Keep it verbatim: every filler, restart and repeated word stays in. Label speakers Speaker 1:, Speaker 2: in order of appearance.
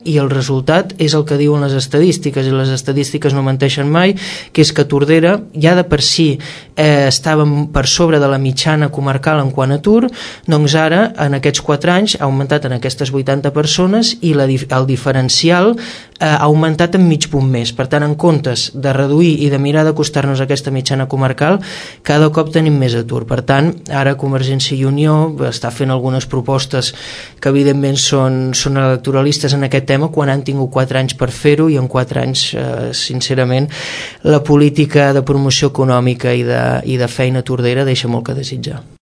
Speaker 1: i el resultat és el que diuen les estadístiques, i les estadístiques no menteixen mai, que és que Tordera ja de per si eh, estàvem per sobre de la mitjana comarcal en quant a atur, doncs ara en aquests quatre anys ha augmentat en aquestes vuitanta persones i la, el diferencial eh, ha augmentat en mig punt més. Per tant, en comptes de reduir i de mirar d'acostar-nos a aquesta mitjana comarcal, cada cop tenim més atur. Per tant, ara Convergència i Unió està fent algunes propostes que evidentment són, són electoralistes en aquest tema, quan han tingut quatre anys per fer-ho, i en quatre anys, eh, sincerament, la política de promoció econòmica i de, i de feina a Tordera deixa molt que desitjar.